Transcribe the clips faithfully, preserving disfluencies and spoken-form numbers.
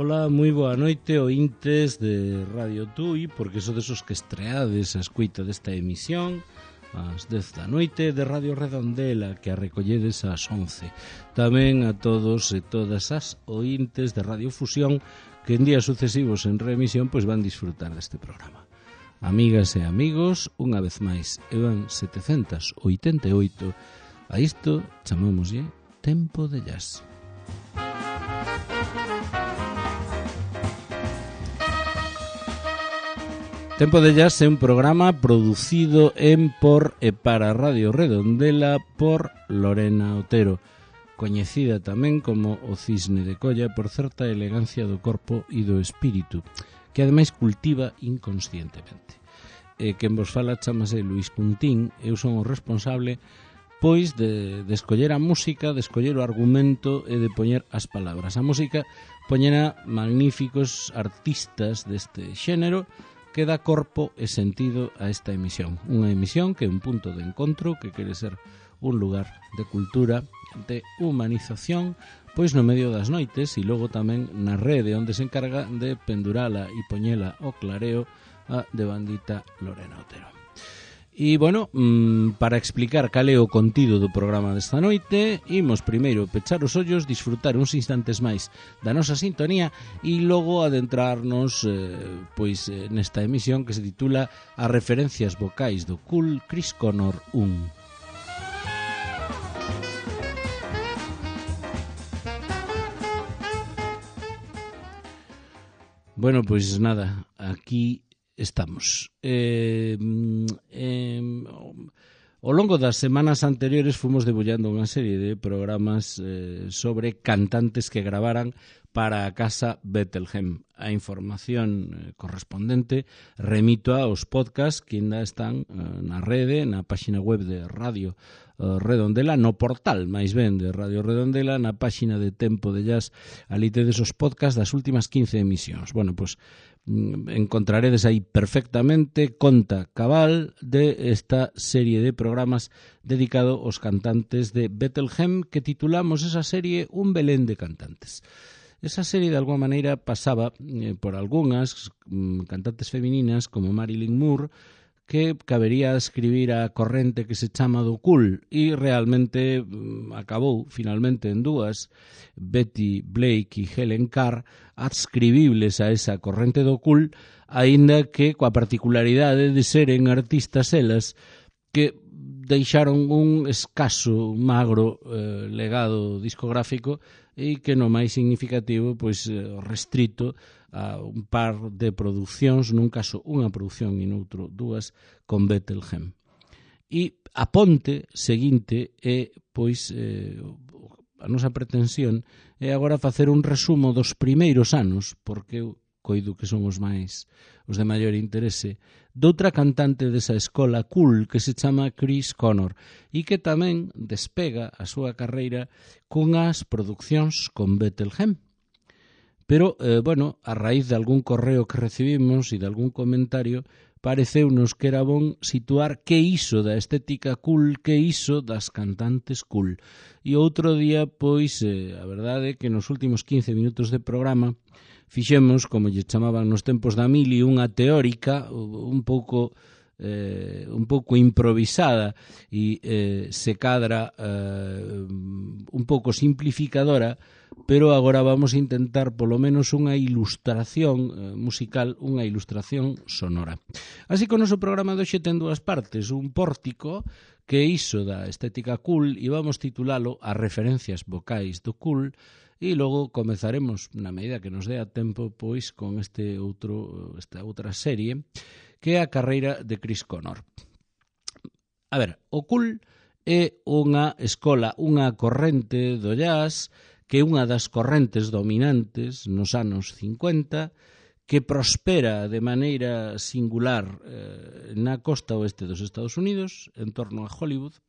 Ola, moi boa noite, ointes de Radio Tui, porque so desos que estreades a escuita desta emisión ás dez da noite de Radio Redondela, que a recolledes ás once. Tamén a todos e todas as ointes de Radio Fusión que en días sucesivos en reemisión pois van disfrutar deste programa. Amigas e amigos, unha vez máis, evan setecentos oitenta e oito. A isto chamámoslle Tempo de Jazz. Tempo de Jazz é un programa producido en, por e para Radio Redondela por Lorena Otero, coñecida tamén como o Cisne de Colla por certa elegancia do corpo e do espírito, que ademais cultiva inconscientemente. E quen vos fala chamase Luís Cuntín, eu son o responsable pois de, de escoller a música, de escoller o argumento e de poñer as palabras. A música poñena magníficos artistas deste xénero que dá corpo e sentido a esta emisión. Unha emisión que é un punto de encontro, que quere ser un lugar de cultura, de humanización, pois no medio das noites e logo tamén na rede onde se encarga de pendurala e poñela ao clareo a devandita Lorena Otero. E, bueno, para explicar cal é o contido do programa desta noite, imos primeiro pechar os ollos, disfrutar uns instantes máis da nosa sintonía e logo adentrarnos eh, pois nesta emisión que se titula As referencias vocais do Cool Chris Connor un. Bueno, pois nada, aquí estamos. Eh, eh, ao longo das semanas anteriores fomos debullando unha serie de programas eh, sobre cantantes que gravaran para a Casa Bethlehem. A información eh, correspondente remito aos podcasts que ainda están eh, na rede, na páxina web de Radio eh, Redondela, no portal, máis ben, de Radio Redondela, na páxina de Tempo de Jazz, ali tedes os podcasts das últimas quince emisións. Bueno, pois encontraredes aí perfectamente conta cabal de esta serie de programas dedicado aos cantantes de Bethlehem, que titulamos esa serie Un Belén de Cantantes. Esa serie de alguma maneira pasaba eh, por algunhas mm, cantantes femininas como Marilyn Moore, que cabería escribir a corrente que se chama do cool e realmente mm, acabou finalmente en dúas, Betty Blake e Helen Carr, adscribibles a esa corrente do cool, aínda que coa particularidade de seren artistas elas que deixaron un escaso, magro eh, legado discográfico e que no máis significativo pois restrito a un par de producións, nun caso unha produción e noutro dúas, con Bethlehem. E a ponte seguinte é, pois, eh, a nosa pretensión é agora facer un resumo dos primeiros anos, porque eu coido que son os máis, os de maior interese, doutra cantante desa escola cool que se chama Chris Connor e que tamén despega a súa carreira cunhas producións con Bethlehem. Pero, eh, bueno, a raíz de algún correo que recibimos e de algún comentario, pareceunos que era bon situar que iso da estética cool, que iso das cantantes cool. E outro día, pois, eh, a verdade é que nos últimos quince minutos de programa fixemos, como lle chamaban nos tempos da mili, unha teórica un pouco eh, un pouco improvisada e eh, se cadra eh, un pouco simplificadora, pero agora vamos a intentar polo menos unha ilustración eh, musical, unha ilustración sonora. Así que o noso programa de hoxe ten dúas partes, un pórtico que é iso da estética cool e vamos titulalo As referencias vocais do cool e logo comezaremos, na medida que nos dea tempo, pois con este outro, esta outra serie que é a carreira de Chris Connor. A ver, o cool é unha escola, unha corrente do jazz que é unha das correntes dominantes nos anos cincuenta, que prospera de maneira singular eh, na costa oeste dos Estados Unidos, en torno a Hollywood.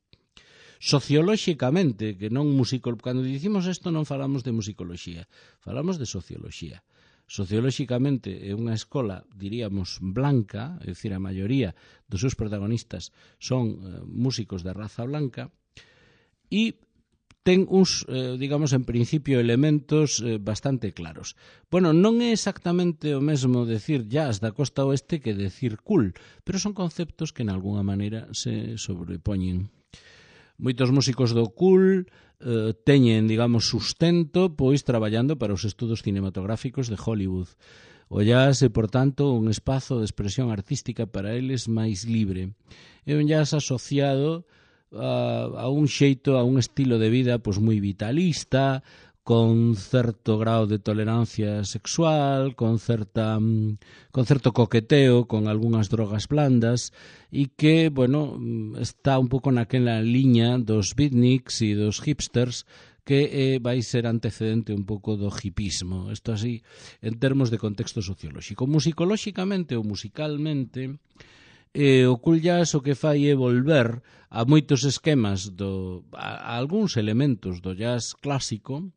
Sociolóxicamente, que non musico, cando dicimos isto non falamos de musicoloxía, falamos de socioloxía. Sociolóxicamente é unha escola, diríamos, blanca, é dicir, a maioría dos seus protagonistas son eh, músicos de raza blanca, e ten uns, eh, digamos, en principio, elementos eh, bastante claros. Bueno, non é exactamente o mesmo decir jazz da costa oeste que decir cool, pero son conceptos que, en alguna maneira, se sobrepoñen. Moitos músicos do cool eh, teñen, digamos, sustento, pois, traballando para os estudos cinematográficos de Hollywood. O jazz é, por tanto, un espazo de expresión artística para eles máis libre. É un jazz asociado a, a un xeito, a un estilo de vida pois moi vitalista, con certo grau de tolerancia sexual, con certa con certo coqueteo, con algunhas drogas blandas, e que, bueno, está un pouco naquela liña dos beatniks e dos hipsters, que eh, vai ser antecedente un pouco do hipismo. Isto así, en termos de contexto sociolóxico. Musicolóxicamente ou musicalmente, eh, o cool jazz o que fai é volver a moitos esquemas, do, a, a algúns elementos do jazz clásico,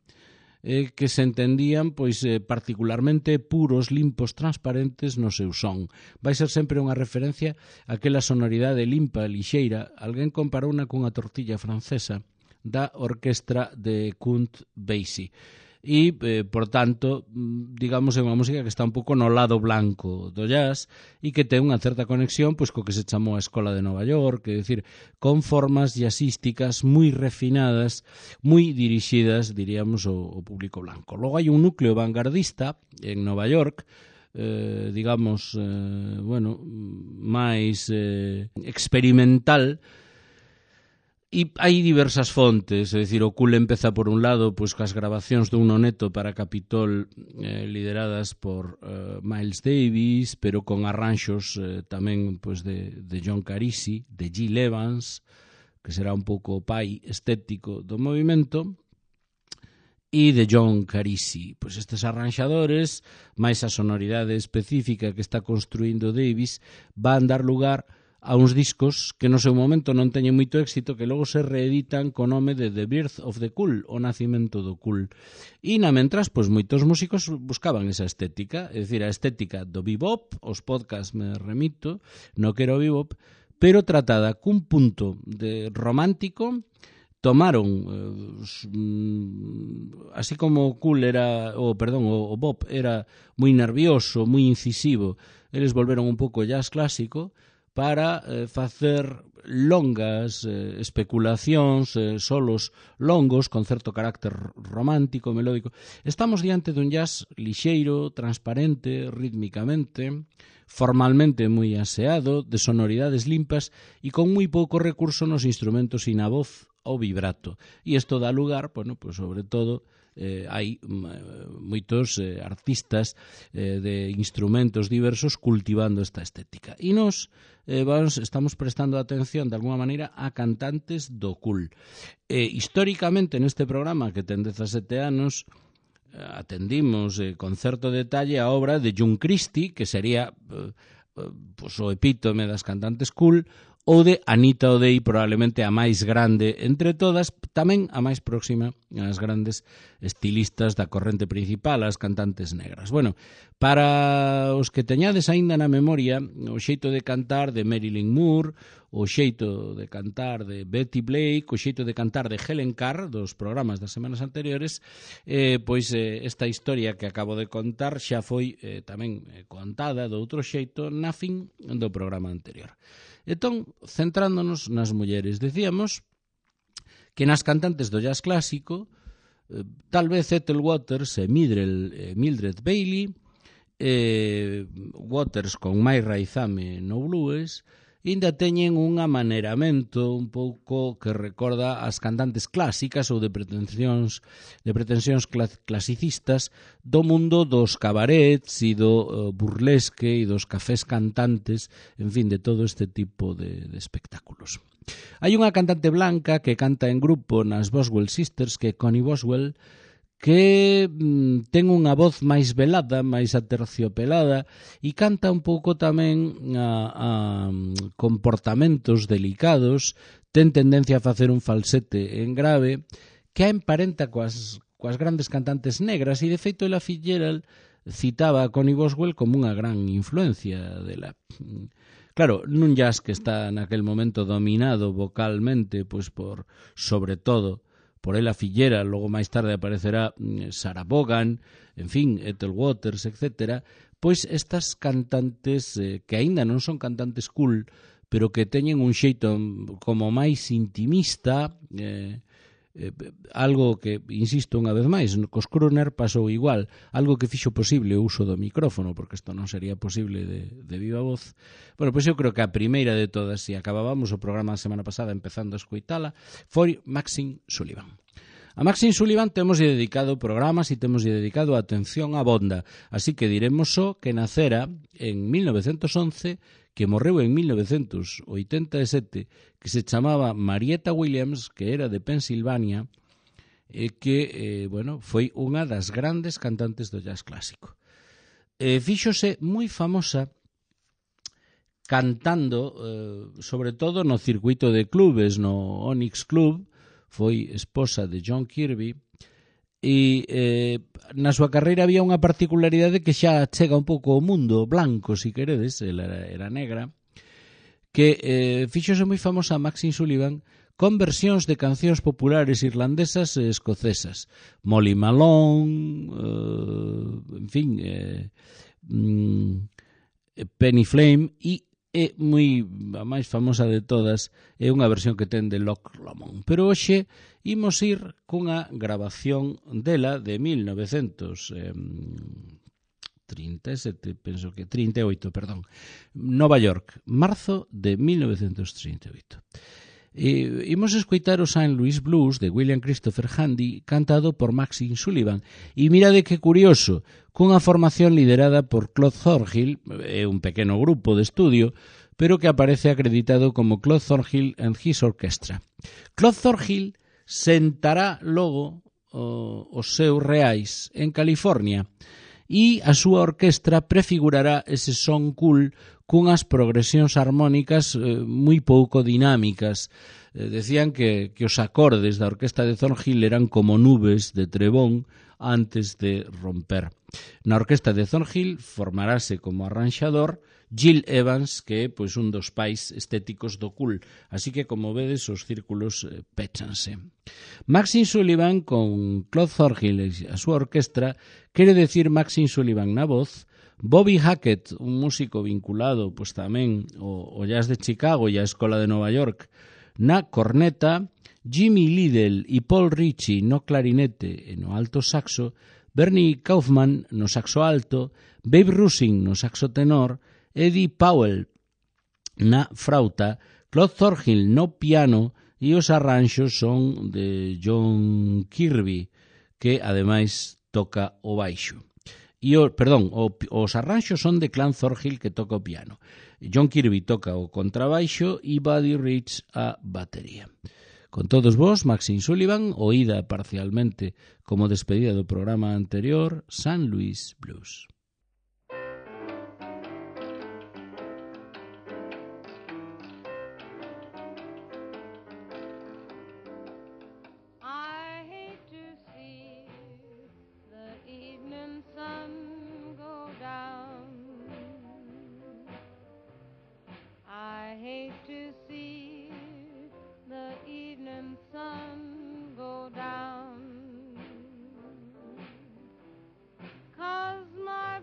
eh, que se entendían pois eh, particularmente puros, limpos, transparentes no seu son. Vai ser sempre unha referencia a aquela sonoridade limpa, lixeira. Alguén comparouna cunha tortilla francesa da orquestra de Count Basie. E, eh, por tanto, digamos, é unha música que está un pouco no lado blanco do jazz e que ten unha certa conexión pois co que se chamou a Escola de Nova York, é dicir, con formas jazzísticas moi refinadas, moi dirixidas, diríamos, ao, ao público blanco. Logo hai un núcleo vanguardista en Nova York, eh, digamos, eh, bueno, máis eh, experimental. E hai diversas fontes, é dicir, o cool empeza por un lado pois cas grabacións dun noneto para Capitol eh, lideradas por eh, Miles Davis, pero con arranxos eh, tamén pois de, de John Carisi, de Gil Evans, que será un pouco o pai estético do movimento, e de John Carisi. Pois estes arranxadores, máis a sonoridade específica que está construindo Davis, van dar lugar a uns discos que no seu momento non teñen moito éxito, que logo se reeditan co nome de The Birth of the Cool, o nacimento do cool. E na mentras, pois moitos músicos buscaban esa estética, é dicir, a estética do bebop, os podcast me remito, no quero bebop, pero tratada cun punto de romántico. Tomaron, eh, así como o cool era, o perdón, o, o bop era moi nervioso, moi incisivo, eles volveron un pouco jazz clásico, para eh, facer longas eh, especulacións, eh, solos longos, con certo carácter romántico, melódico. Estamos diante dun jazz lixeiro, transparente, rítmicamente, formalmente moi aseado, de sonoridades limpas e con moi pouco recurso nos instrumentos e na voz ou vibrato. E isto dá lugar, bueno, pues sobre todo, Eh, hai moitos eh, artistas eh, de instrumentos diversos cultivando esta estética. E nos eh, vamos, estamos prestando atención de alguma maneira a cantantes do cool. Eh, históricamente neste programa, que ten dezasete anos, eh, atendimos eh, con certo detalle a obra de June Christie, que sería eh, eh, pues, o epítome das cantantes cool, ou de Anita O'Day, probablemente a máis grande entre todas, tamén a máis próxima ás grandes estilistas da corrente principal, as cantantes negras. Bueno, para os que teñades aínda na memoria o xeito de cantar de Marilyn Moore, o xeito de cantar de Betty Blake, o xeito de cantar de Helen Carr, dos programas das semanas anteriores, eh, pois eh, esta historia que acabo de contar xa foi eh, tamén eh, contada do outro xeito na fin do programa anterior. Entón, centrándonos nas mulleres, decíamos que nas cantantes do jazz clásico, eh, tal vez Ethel Waters e Mildred, eh, Mildred Bailey, eh, Waters con máis raizame no blues, ainda teñen un amaneramento un pouco que recorda as cantantes clásicas ou de pretensións de pretensións clasicistas do mundo dos cabarets e do uh, burlesque e dos cafés cantantes, en fin, de todo este tipo de, de espectáculos. Hai unha cantante blanca que canta en grupo nas Boswell Sisters, que é Connie Boswell, que mm, ten unha voz máis velada, máis aterciopelada e canta un pouco tamén a, a comportamentos delicados, ten tendencia a facer un falsete en grave que a emparenta coas, coas grandes cantantes negras e de feito ela Fitzgerald citaba a Connie Boswell como unha gran influencia dela. Claro, nun jazz que está naquel momento dominado vocalmente pois por, sobre todo, por ela Fillera, logo máis tarde aparecerá Sarah Vaughan, en fin, Ethel Waters, etcétera, pois estas cantantes eh, que aínda non son cantantes cool, pero que teñen un xeito como máis intimista, eh, eh, algo que, insisto unha vez máis, cos crooner pasou igual, algo que fixo posible o uso do micrófono, porque isto non sería posible de, de viva voz. Bueno, pois eu creo que a primeira de todas, se acabábamos o programa a semana pasada empezando a escoitala, foi Maxine Sullivan. A Maxine Sullivan temos dedicado programas e temos dedicado a atención á bonda, así que diremos só que nacera en mil novecentos once, que morreu en mil novecentos oitenta e sete, que se chamaba Marietta Williams, que era de Pensilvania, e que, eh, bueno, foi unha das grandes cantantes do jazz clásico. Eh, fíxose moi famosa cantando, eh, sobre todo no circuito de clubes, no Onyx Club, foi esposa de John Kirby, e eh, na súa carreira había unha particularidade que xa chega un pouco ao mundo blanco, si queredes, ela era, era negra, que eh, fíxose moi famosa a Maxine Sullivan con versións de cancións populares irlandesas e escocesas. Molly Malone, eh, en fin, eh, mm, Penny Flame, e é moi, a máis famosa de todas é unha versión que ten de Loch Lomond. Pero hoxe imos ir cunha grabación dela de mil novecentos trinta e sete, penso que trinta e oito, perdón, Nova York, marzo de mil novecentos trinta e oito. E imos escoitar o Saint Louis Blues de William Christopher Handy, cantado por Maxine Sullivan. E mirade que curioso, cunha formación liderada por Claude Thornhill, é un pequeno grupo de estudio, pero que aparece acreditado como Claude Thornhill and His Orchestra. Claude Thornhill sentará logo o, os seus reais en California e a súa orquestra prefigurará ese son cool cunhas progresións armónicas eh, moi pouco dinámicas. Eh, decían que, que os acordes da orquesta de Thornhill eran como nubes de trebón antes de romper. Na orquesta de Thornhill formarase como arranxador Gil Evans, que é pois, un dos pais estéticos do cool. Así que, como vedes, os círculos eh, péchanse. Maxine Sullivan con Claude Thornhill e a súa orquestra quere decir Maxine Sullivan na voz, Bobby Hackett, un músico vinculado pois, tamén ao, ao jazz de Chicago e á Escola de Nova York, na corneta, Jimmy Liddell e Paul Ritchie no clarinete e no alto saxo, Bernie Kaufman no saxo alto, Babe Rusin no saxo tenor, Eddie Powell na frauta, Claude Thornhill no piano e os arranxos son de John Kirby, que ademais toca o baixo. E o, perdón, o, os arranxos son de Clan Thornhill, que toca o piano. John Kirby toca o contrabaixo e Buddy Rich a batería. Con todos vos, Maxine Sullivan, oída parcialmente como despedida do programa anterior, Saint Louis Blues. Sun go down, 'cause my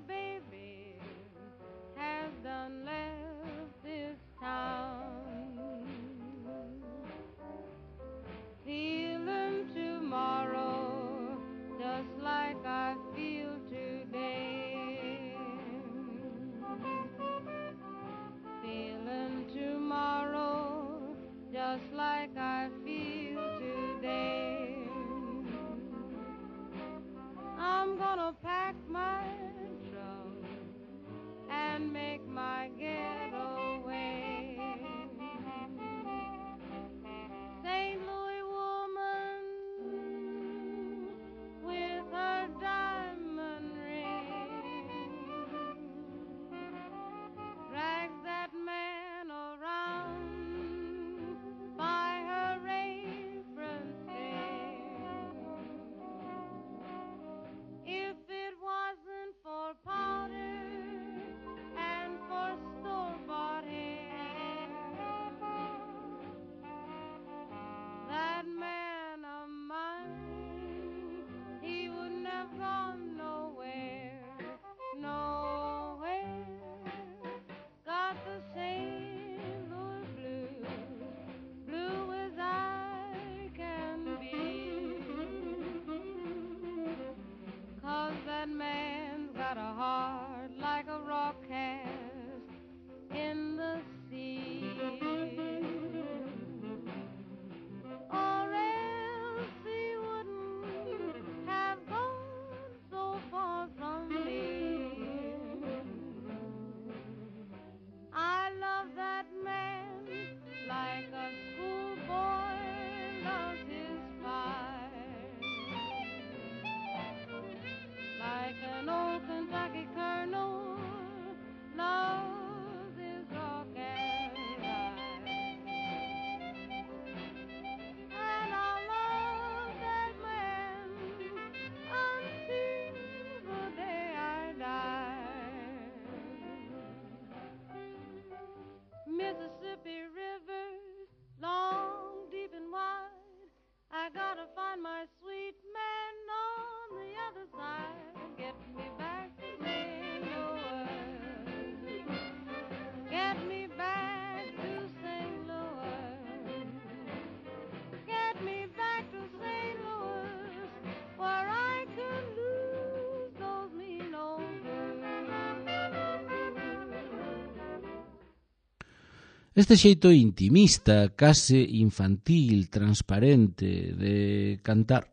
Este xeito intimista, case infantil, transparente de cantar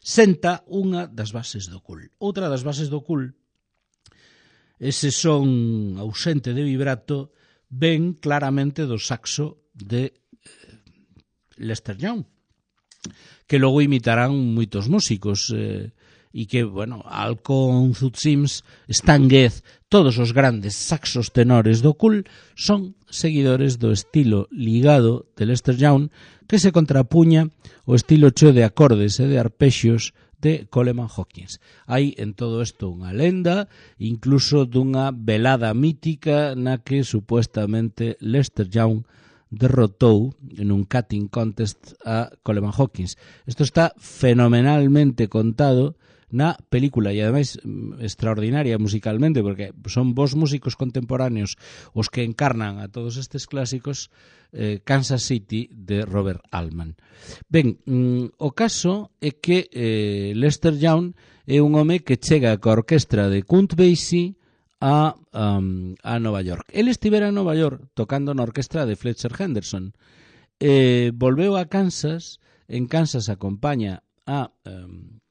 senta unha das bases do cool. Outra das bases do cool, ese son ausente de vibrato, ven claramente do saxo de Lester Young, que logo imitarán moitos músicos, eh, e que, bueno, Alcon, Zoot Sims, Stan Getz, todos os grandes saxos tenores do cool son seguidores do estilo ligado de Lester Young, que se contrapuña o estilo cheo de acordes e de arpexios de Coleman Hawkins. Hai en todo isto unha lenda, incluso dunha velada mítica na que supuestamente Lester Young derrotou en un cutting contest a Coleman Hawkins. Isto está fenomenalmente contado na película e ademais extraordinaria musicalmente, porque son vos músicos contemporáneos os que encarnan a todos estes clásicos, eh, Kansas City de Robert Altman. Ben, mm, o caso é que eh, Lester Young é un home que chega coa orquestra de Count Basie a, um, a Nova York. El estivera en Nova York tocando na orquestra de Fletcher Henderson. Eh, volveu a Kansas, en Kansas acompaña a... Um,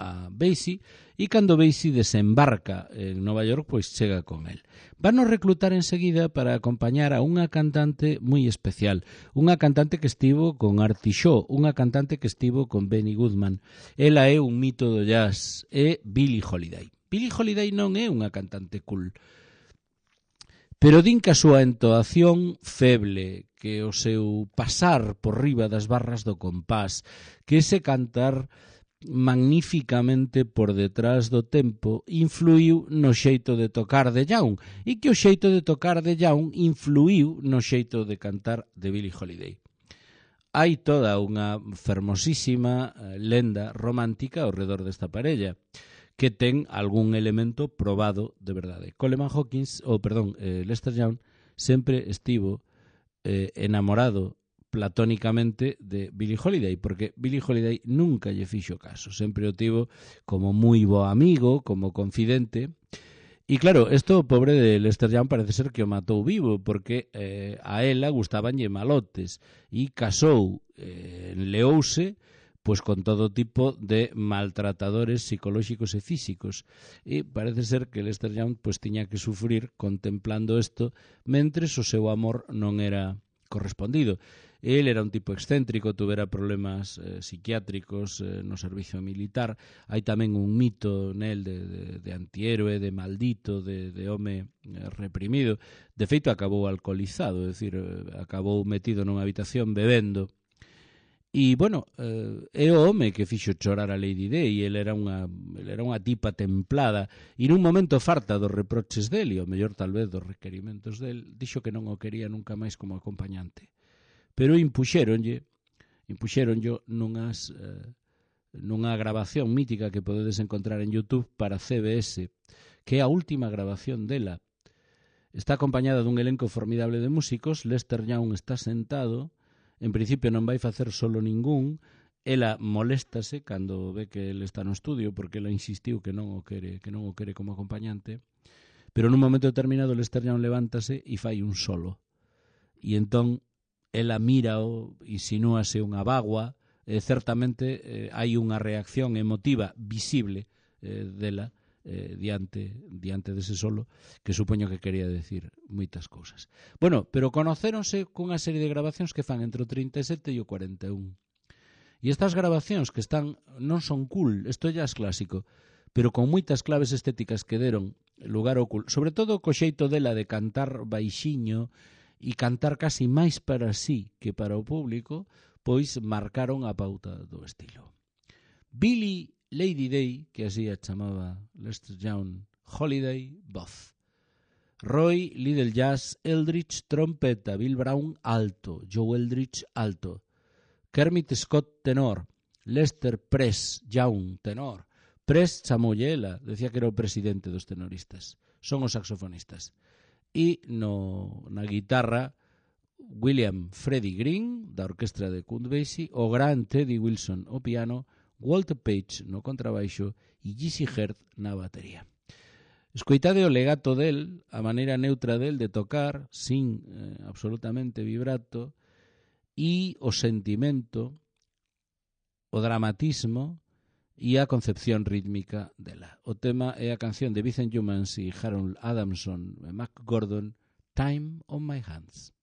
a Basie, e cando Basie desembarca en Nova York, pois chega con el. Van a reclutar enseguida para acompañar a unha cantante moi especial, unha cantante que estivo con Artie Shaw, unha cantante que estivo con Benny Goodman. Ela é un mito do jazz, é Billie Holiday. Billie Holiday non é unha cantante cool, pero din que a súa entoación feble, que o seu pasar por riba das barras do compás, que ese cantar magníficamente por detrás do tempo influiu no xeito de tocar de Young, e que o xeito de tocar de Young influiu no xeito de cantar de Billie Holiday. Hai toda unha fermosísima lenda romántica ao redor desta parella, que ten algún elemento probado de verdade. Coleman Hawkins, ou perdón, eh, Lester Young sempre estivo eh, enamorado platónicamente de Billie Holiday, porque Billie Holiday nunca lle fixo caso, sempre o tivo como moi bo amigo, como confidente. E claro, isto o pobre de Lester Young parece ser que o matou vivo, porque eh, a ela gustabanlle malotes e casou, eh, leouse pois con todo tipo de maltratadores psicolóxicos e físicos, e parece ser que Lester Young pois tiña que sufrir contemplando isto mentres o seu amor non era correspondido. El era un tipo excéntrico, tuvera problemas eh, psiquiátricos eh, no servicio militar. Hai tamén un mito nel de, de, de antihéroe, de maldito, de, de home eh, reprimido. De feito, acabou alcoholizado, é dicir, eh, acabou metido nunha habitación bebendo. E, bueno, eh, é o home que fixo chorar a Lady Day. El era unha, el era unha tipa templada e nun momento farta dos reproches del e o mellor tal vez dos requerimentos del, dixo que non o quería nunca máis como acompañante. Pero impuxéronlle, impuxéronlle nunhas, eh, nunha grabación mítica que podedes encontrar en YouTube para C B S, que é a última grabación dela. Está acompañada dun elenco formidable de músicos. Lester Young está sentado, en principio non vai facer solo ningún. Ela moléstase cando ve que ele está no estudio, porque ela insistiu que non o quere, que non o quere como acompañante. Pero nun momento determinado Lester Young levántase e fai un solo. E entón ela mírao, insinúase unha bagua, e certamente eh, hai unha reacción emotiva visible eh, dela eh, diante, diante dese solo, que supoño que quería decir moitas cousas. Bueno, pero conocéronse cunha serie de grabacións que fan entre o trinta e sete e o cuarenta e un. E estas grabacións que están non son cool, isto ya é clásico, pero con moitas claves estéticas que deron lugar ao cool, sobre todo co xeito dela de cantar baixiño e cantar casi máis para sí que para o público, pois marcaron a pauta do estilo. Billie Lady Day, que así a chamaba Lester Young, Holiday, voz. Roy, Little Jazz, Eldridge, trompeta, Bill Brown, alto, Joe Eldridge, alto. Kermit Scott, tenor. Lester Press Young, tenor. Press chamoulle ela, decía que era o presidente dos tenoristas. Son os saxofonistas. E no, na guitarra William Freddie Green da orquestra de Count Basie, o gran Teddy Wilson o piano, Walter Page no contrabaixo e Jesse Herd na batería. Escoitade o legato del, a maneira neutra del de tocar, sin eh, absolutamente vibrato, e o sentimento, o dramatismo e a concepción rítmica dela. O tema é a canción de Vincent Youmans e Harold Adamson e Mac Gordon, Time on My Hands.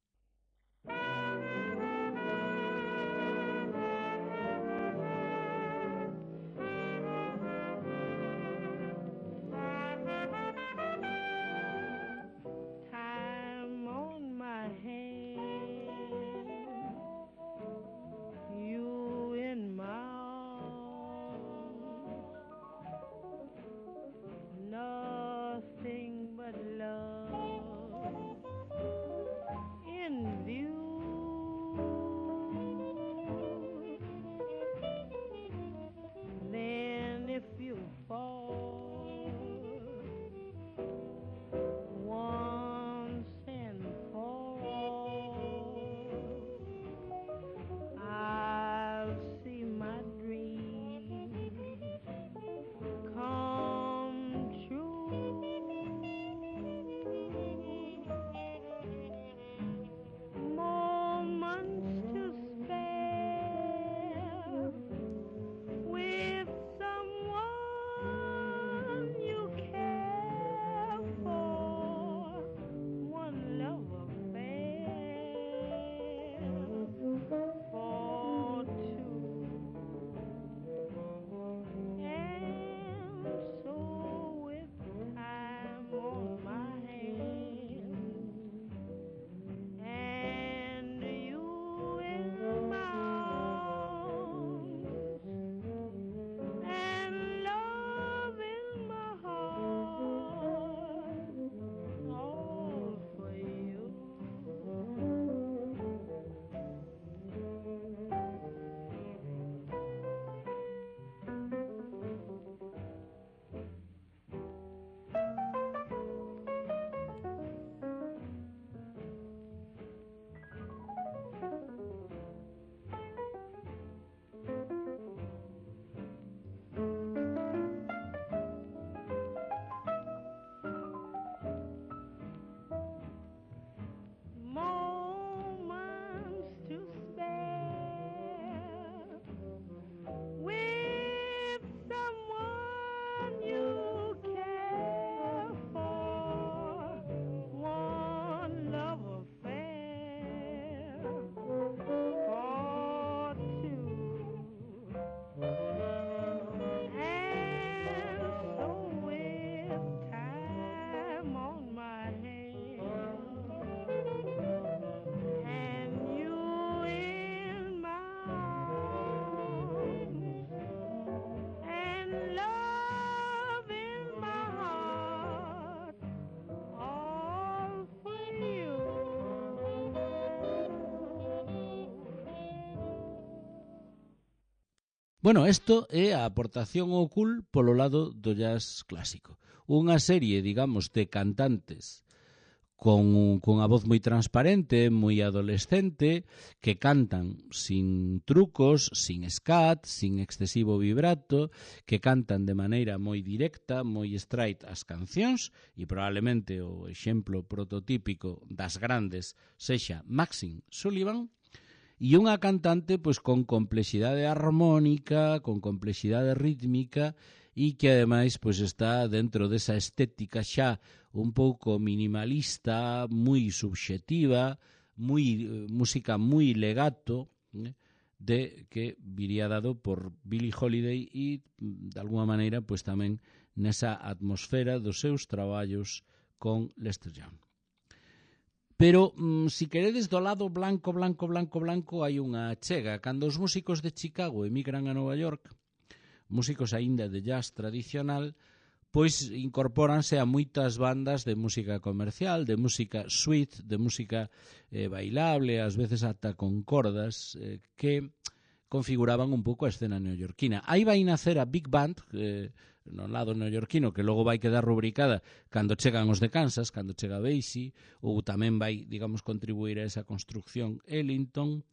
Bueno, isto é a aportación ao cool polo lado do jazz clásico. Unha serie, digamos, de cantantes con, con a voz moi transparente, moi adolescente, que cantan sin trucos, sin scat, sin excesivo vibrato, que cantan de maneira moi directa, moi straight as cancións, e probablemente o exemplo prototípico das grandes sexa Maxine Sullivan, e unha cantante pois con complexidade armónica, con complexidade rítmica e que ademais pois está dentro desa estética xa un pouco minimalista, moi subxectiva, moi música moi legato, eh, de que viría dado por Billie Holiday e de alguma maneira pois tamén nesa atmosfera dos seus traballos con Lester Young. Pero, mm, si queredes do lado blanco, blanco, blanco, blanco, hai unha chega. Cando os músicos de Chicago emigran a Nova York, músicos aínda de jazz tradicional, pois incorpóranse a moitas bandas de música comercial, de música sweet, de música eh, bailable, ás veces ata con cordas, eh, que configuraban un pouco a escena neoyorquina. Aí vai nacer a Big Band, eh, no lado neoyorquino, que logo vai quedar rubricada cando chegan os de Kansas, cando chega Basie, ou tamén vai, digamos, contribuir a esa construcción Ellington,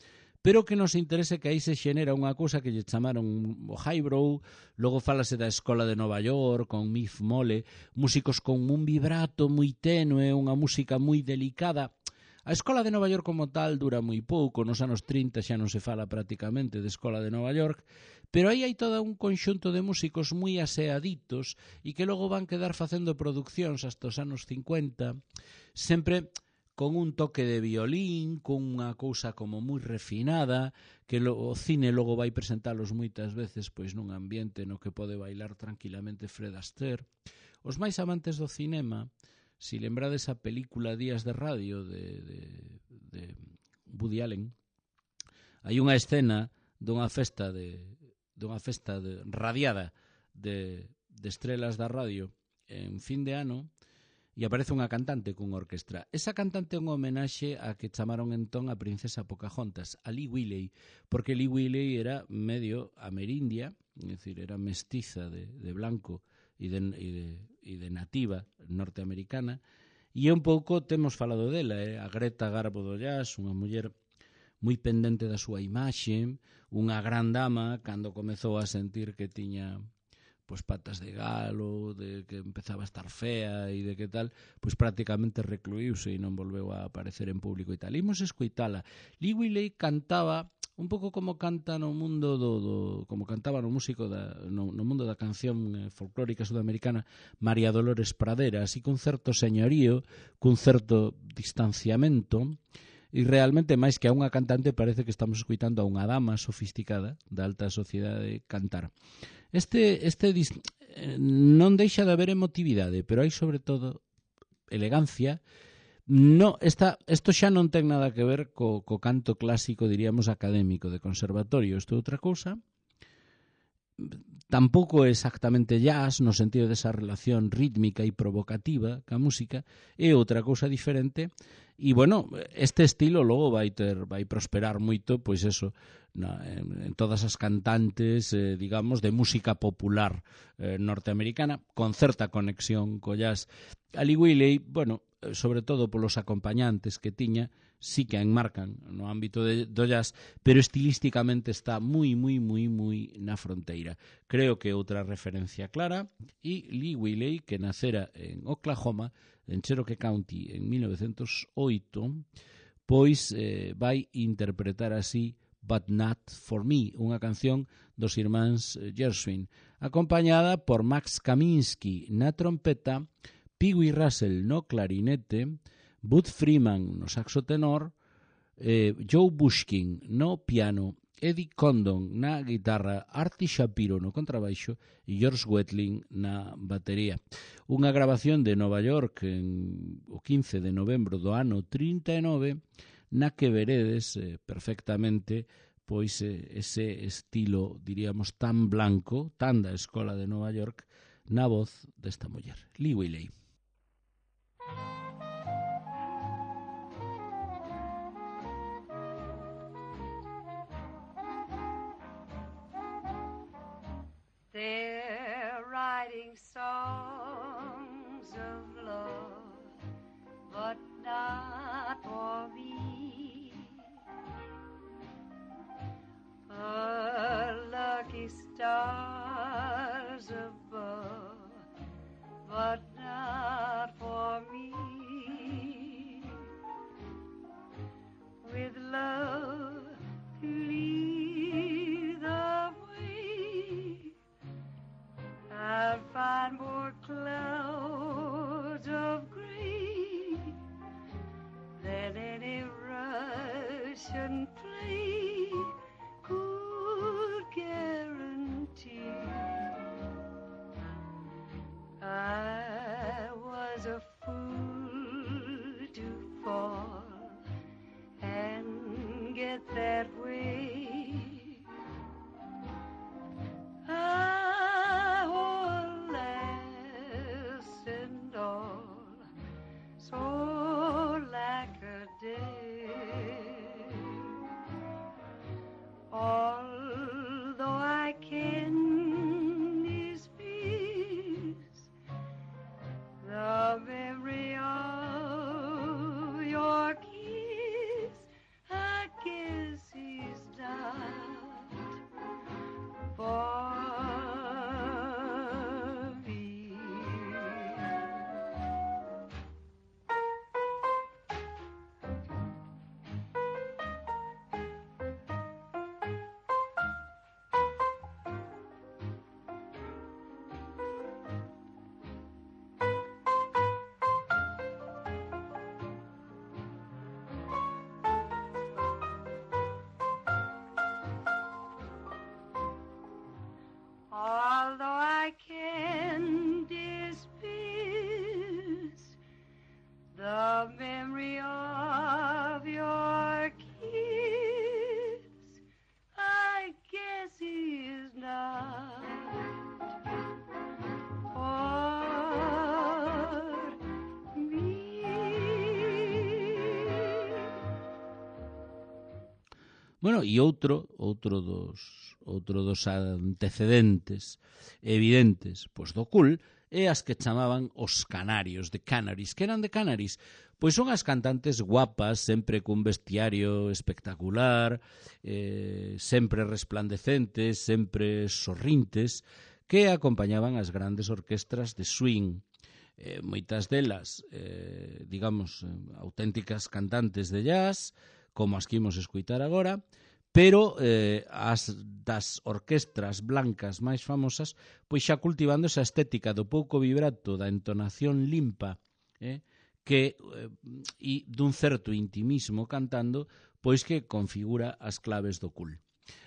pero que nos interese que aí se xenera unha cousa que lle chamaron o highbrow, logo fálase da Escola de Nova York, con Miff Mole, músicos con un vibrato moi tenue, unha música moi delicada. A Escola de Nova York como tal dura moi pouco, nos anos trinta xa non se fala prácticamente de Escola de Nova York, pero aí hai todo un conxunto de músicos moi aseaditos e que logo van quedar facendo produccións hasta os anos cincuenta, sempre con un toque de violín, con unha cousa como moi refinada, que o cine logo vai presentalos moitas veces pois nun ambiente no que pode bailar tranquilamente Fred Astaire. Os máis amantes do cinema, si lembrades a película Días de Radio de, de, de Woody Allen, hai unha escena dunha festa de dunha festa de, radiada de, de estrelas da radio en fin de ano, e aparece unha cantante cunha orquestra. Esa cantante é unha homenaxe a que chamaron entón a princesa Pocahontas, a Lee Willey, porque Lee Willey era medio amerindia, é dicir, era mestiza de, de blanco e de, e, de, e de nativa norteamericana, e un pouco temos falado dela, eh? A Greta Garbo do jazz, unha muller moi pendente da súa imaxe, unha gran dama cando comezou a sentir que tiña pois patas de galo, de que empezaba a estar fea e de que tal, pois prácticamente recluíuse e non volveu a aparecer en público e tal. Imos escoitala. Lee Willey cantaba un pouco como canta no mundo do, do como cantaba no músico da, no, no mundo da canción folclórica sudamericana María Dolores Pradera, así cun certo señorío, cun certo distanciamento, e realmente máis que a unha cantante parece que estamos escoitando a unha dama sofisticada da alta sociedade cantar. Este, este non deixa de haber emotividade, pero hai sobre todo elegancia. No, esta, esto xa non ten nada que ver co, co canto clásico, diríamos, académico de conservatorio. Isto é outra cousa. Tampouco é exactamente jazz no sentido desa relación rítmica e provocativa ca música, é outra cousa diferente. E, bueno, este estilo logo vai ter vai prosperar moito, pois eso, na, en, en todas as cantantes, eh, digamos, de música popular eh, norteamericana, con certa conexión co jazz. A Lee Willey, bueno, sobre todo polos acompañantes que tiña, sí que a enmarcan no ámbito de, do jazz, pero estilísticamente está moi, moi, moi, moi na fronteira. Creo que outra referencia clara, e Lee Willey, que nacera en Oklahoma, en Cherokee County, en mil novecientos oito, pois eh, vai interpretar así But Not For Me, unha canción dos irmáns Gershwin, acompañada por Max Kaminsky na trompeta, Pee Wee Russell no clarinete, Bud Freeman no saxo tenor, eh, Joe Bushkin no piano, Eddie Condon na guitarra, Artie Shapiro no contrabaixo e George Wetling na batería. Unha grabación de Nova York en o quince de novembro do ano trinta e nove, na que veredes eh, perfectamente pois eh, ese estilo, diríamos, tan blanco, tan da Escola de Nova York, na voz desta muller, Lee Willey. They're writing songs of love, but not for me. A lucky stars above, but not for me. With love to lead the way, I'll find more clouds of gray than any Russian play could guarantee. I was a fool to fall and get that way. I will last and all, so like a day. Bueno, e outro, outro dos, outro dos antecedentes evidentes pois do cool é as que chamaban os canarios, de Canaries. Que eran de Canaries? Pois son as cantantes guapas, sempre cun vestiario espectacular, eh, sempre resplandecentes, sempre sorrintes, que acompañaban as grandes orquestras de swing. Eh, moitas delas, eh, digamos, eh, auténticas cantantes de jazz, como as que imos escuitar agora, pero eh, as das orquestras blancas máis famosas, pois xa cultivando esa estética do pouco vibrato, da entonación limpa, eh, que eh, e dun certo intimismo cantando, pois que configura as claves do cool.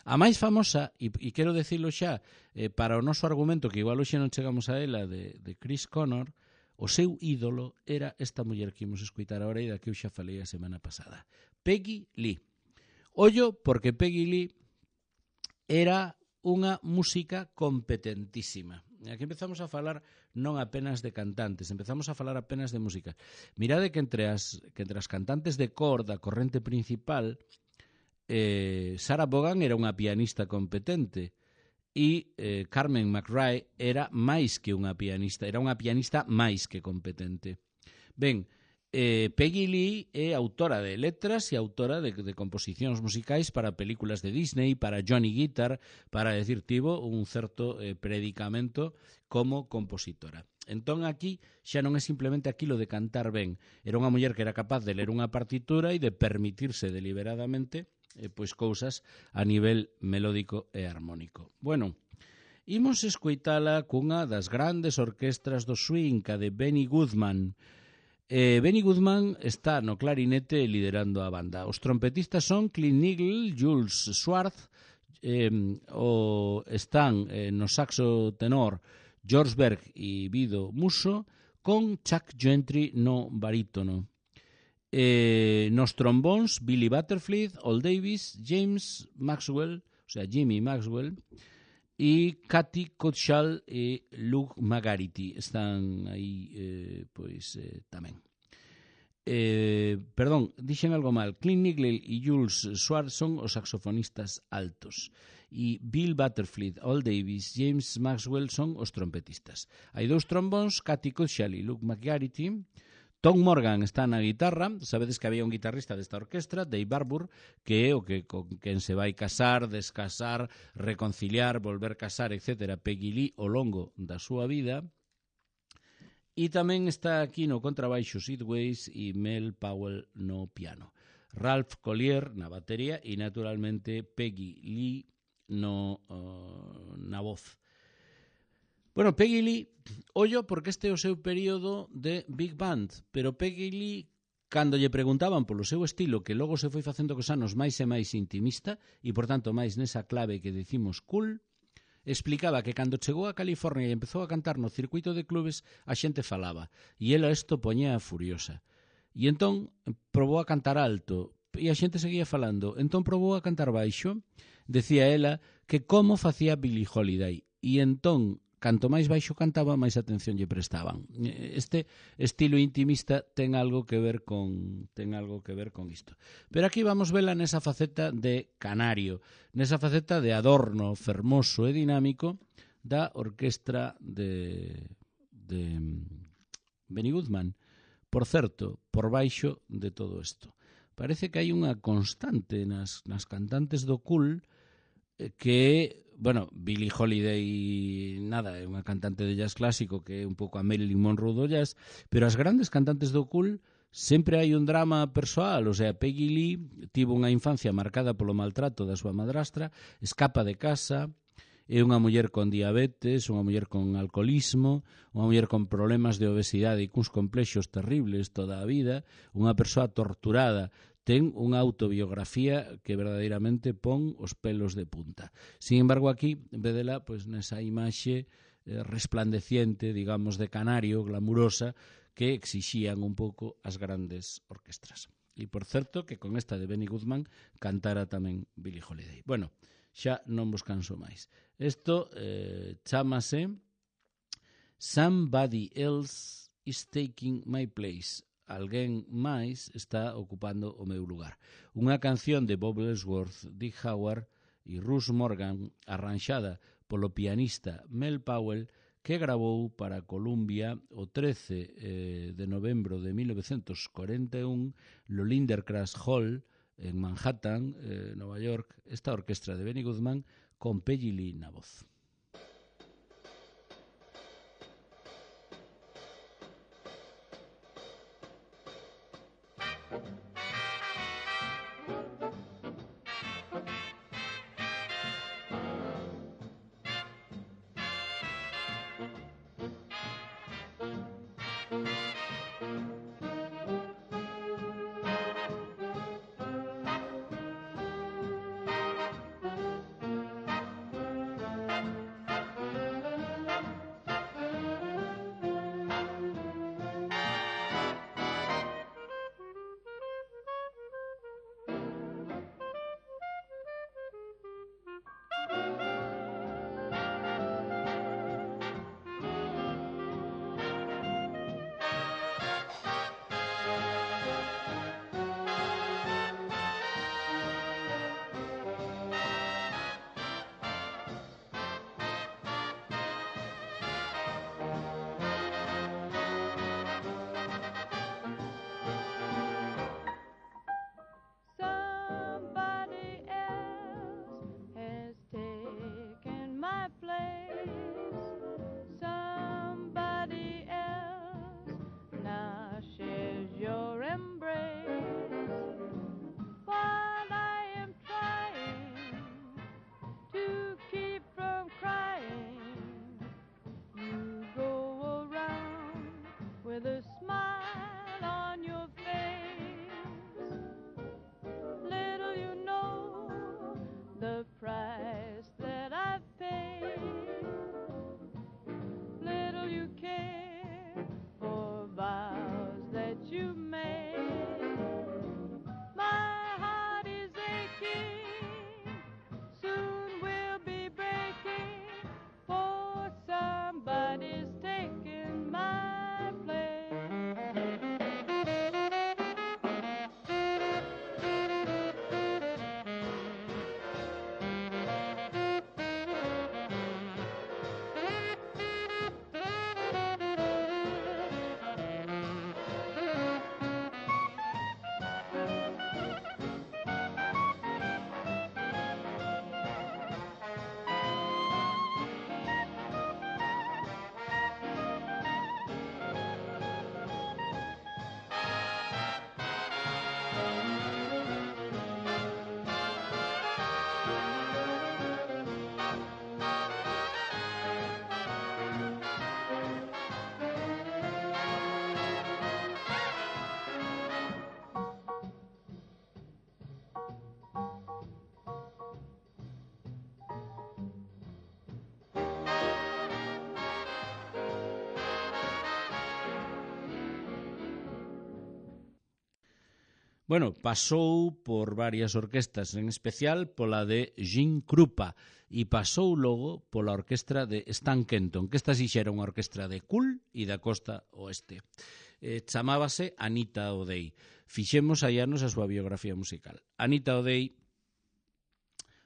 A máis famosa, e, e quero decirlo xa, eh, para o noso argumento, que igual hoxe non chegamos a ela, de, de Chris Connor, o seu ídolo era esta muller que imos escutar agora e da que eu xa falei a semana pasada, Peggy Lee. Ollo, porque Peggy Lee era unha música competentísima. E aquí empezamos a falar non apenas de cantantes, empezamos a falar apenas de música. Mirade que entre as, que entre as cantantes de cor da corrente principal, eh, Sarah Vaughan era unha pianista competente e eh, Carmen McRae era máis que unha pianista, era unha pianista máis que competente. Ben, Eh, Peggy Lee é autora de letras e autora de, de composicións musicais para películas de Disney, para Johnny Guitar, para decir, tivo un certo eh, predicamento como compositora. Entón aquí xa non é simplemente aquilo de cantar ben, era unha muller que era capaz de ler unha partitura e de permitirse deliberadamente eh, pois cousas a nivel melódico e armónico. Bueno, imos escoitala cunha das grandes orquestras do swing, a de Benny Goodman. Eh, Benny Goodman está no clarinete liderando a banda. Os trompetistas son Clint Niggle, Jules Schwartz, eh, o están eh, no saxo tenor George Berg e Vido Musso, con Chuck Gentry no barítono. Eh, nos trombóns, Billy Butterfield, Al Davis, James Maxwell, o sea, Jimmy Maxwell, e Cathy Cutshall e Luke McGarity están aí eh, pois eh, tamén. Eh, perdón, dixen algo mal. Clint Niggle e Jules Schwartz son os saxofonistas altos e Bill Butterfield, Al Davis, James Maxwell son os trompetistas. Hai dous trombóns, Cathy Cutshall e Luke McGarity. Tom Morgan está na guitarra. Sabedes que había un guitarrista desta orquestra, Dave Barbour, que é o que con quen se vai casar, descasar, reconciliar, volver casar, etcétera, Peggy Lee ao longo da súa vida. E tamén está aquí no contrabaixo Sid Weiss e Mel Powell no piano. Ralph Collier na batería e, naturalmente, Peggy Lee no, uh, na voz. Bueno, Peggy Lee, ollo porque este é o seu período de Big Band, pero Peggy Lee, cando lle preguntaban polo seu estilo, que logo se foi facendo cos anos máis e máis intimista, e, por tanto, máis nesa clave que decimos cool, explicaba que cando chegou a California e empezou a cantar no circuito de clubes, a xente falaba, e ela isto poñía furiosa. E entón probou a cantar alto, e a xente seguía falando. Entón probou a cantar baixo, decía ela que como facía Billie Holiday, e entón canto máis baixo cantaba, máis atención lle prestaban. Este estilo intimista ten algo que ver con ten algo que ver con isto. Pero aquí vamos vela nesa faceta de canario, nesa faceta de adorno fermoso e dinámico da orquestra de de Benny Goodman. Por certo, por baixo de todo isto. Parece que hai unha constante nas, nas cantantes do cool que, bueno, Billie Holiday, nada, é unha cantante de jazz clásico que é un pouco a Marilyn Monroe do jazz, pero as grandes cantantes do cool sempre hai un drama persoal, o sea, Peggy Lee tivo unha infancia marcada polo maltrato da súa madrastra, escapa de casa, é unha muller con diabetes, unha muller con alcoholismo, unha muller con problemas de obesidade e cuns complexos terribles toda a vida, unha persoa torturada. Ten unha autobiografía que verdadeiramente pon os pelos de punta. Sin embargo, aquí, en vez dela, pois, nesa imaxe eh, resplandeciente, digamos, de canario, glamurosa, que exixían un pouco as grandes orquestras. E, por certo, que con esta de Benny Goodman cantara tamén Billie Holiday. Bueno, xa non vos canso máis. Isto eh, chámase Somebody Else is Taking My Place. alguén máis está ocupando o meu lugar. Unha canción de Bob Ellsworth, Dick Howard e Russ Morgan, arranxada polo pianista Mel Powell, que gravou para Columbia o trece eh, de novembro de mil novecentos cuarenta e un no Lindercraft Hall en Manhattan, eh, Nova York, esta orquestra de Benny Goodman con Peggy Lee na voz. Bueno, pasou por varias orquestas, en especial pola de Gene Krupa, e pasou logo pola orquestra de Stan Kenton, que esta sí xa era unha orquestra de cool e da costa oeste. Eh, chamábase Anita O'Day. Fixemos hai anos a súa biografía musical. Anita O'Day,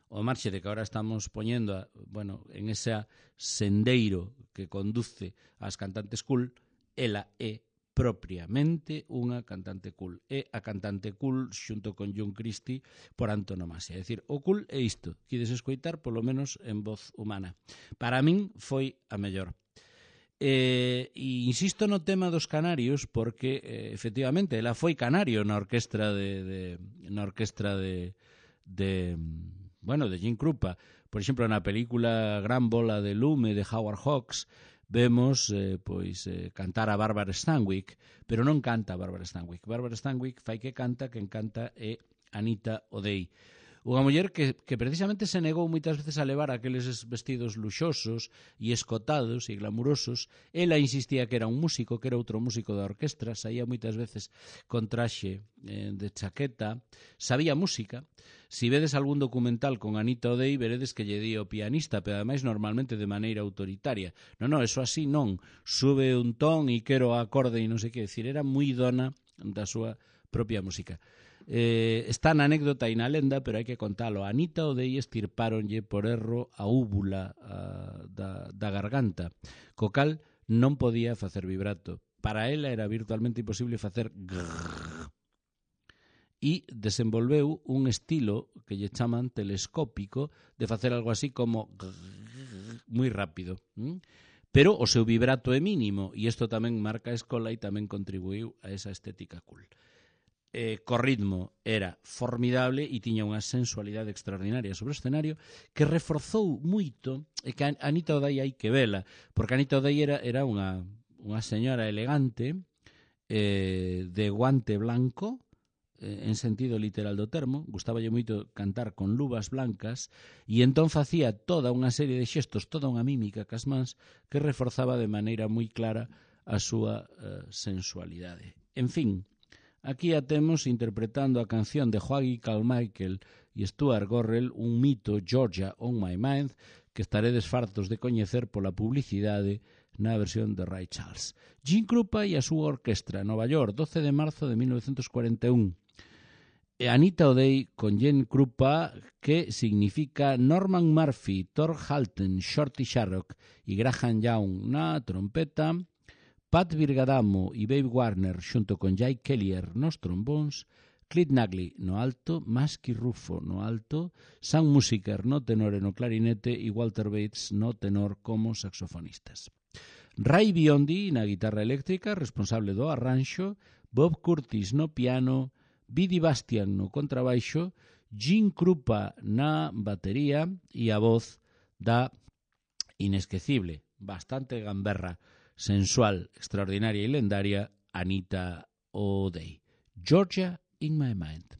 o marxe de que agora estamos poñendo a, bueno, en ese sendeiro que conduce ás cantantes cool, ela é propiamente unha cantante cool. É a cantante cool xunto con John Christie por antonomasia. É dicir, o cool é isto, que ides escoitar polo menos en voz humana. Para min foi a mellor. Eh, e insisto no tema dos canarios porque eh, efectivamente ela foi canario na orquestra de, de na orquestra de de bueno, de Gene Krupa. Por exemplo, na película Gran Bola de Lume de Howard Hawks vemos eh, pois eh, cantar a Barbara Stanwyck, pero non canta a Barbara Stanwyck. Barbara Stanwyck fai que canta, quen canta é Anita O'Day. Unha muller que, que precisamente se negou moitas veces a levar aqueles vestidos luxosos e escotados e glamurosos. Ela insistía que era un músico, que era outro músico da orquestra, saía moitas veces con traxe eh, de chaqueta, sabía música. Si vedes algún documental con Anita O'Day, veredes que lle di o pianista, pero ademais normalmente de maneira autoritaria. Non, non, eso así non. Sube un ton e quero acorde e non sei que. Decir, era moi dona da súa propia música. Eh, está na anécdota e na lenda, pero hai que contalo. A Anita O'Day estirpáronlle por erro a úvula a, da, da garganta, co cal non podía facer vibrato. Para ela era virtualmente imposible facer grrrr. E desenvolveu un estilo que lle chaman telescópico de facer algo así como grrrr, moi rápido. ¿Mm? Pero o seu vibrato é mínimo e isto tamén marca a escola e tamén contribuiu a esa estética cool. Eh, co ritmo era formidable e tiña unha sensualidade extraordinaria sobre o escenario que reforzou moito, e que a Anita O'Day hai que vela, porque Anita O'Day era, era unha, unha señora elegante eh, de guante blanco, eh, en sentido literal do termo, gustaballe moito cantar con luvas blancas e entón facía toda unha serie de xestos, toda unha mímica cas mans que reforzaba de maneira moi clara a súa eh, sensualidade. En fin, aquí a temos interpretando a canción de Joaquin Carmichael e Stuart Gorrell, un mito, Georgia on My Mind, que estaredes fartos de coñecer pola publicidade na versión de Ray Charles. Gene Krupa e a súa orquestra, Nova York, doce de marzo de mil novecientos cuarenta e un. E Anita O'Day con Gene Krupa, que significa Norman Murphy, Thor Halton, Shorty Sharrock e Graham Young na trompeta, Pat Virgadamo e Babe Warner xunto con Jay Kellier nos trombóns, Clit Nagley no alto, Masky Rufo no alto, Sam Musiker no tenor e no clarinete e Walter Bates no tenor como saxofonistas. Ray Biondi na guitarra eléctrica, responsable do arranxo, Bob Curtis no piano, Bidi Bastian no contrabaixo, Gene Krupa na batería e a voz da inesquecible, bastante gamberra, sensual, extraordinaria e lendaria Anita O'Day. Georgia in My Mind.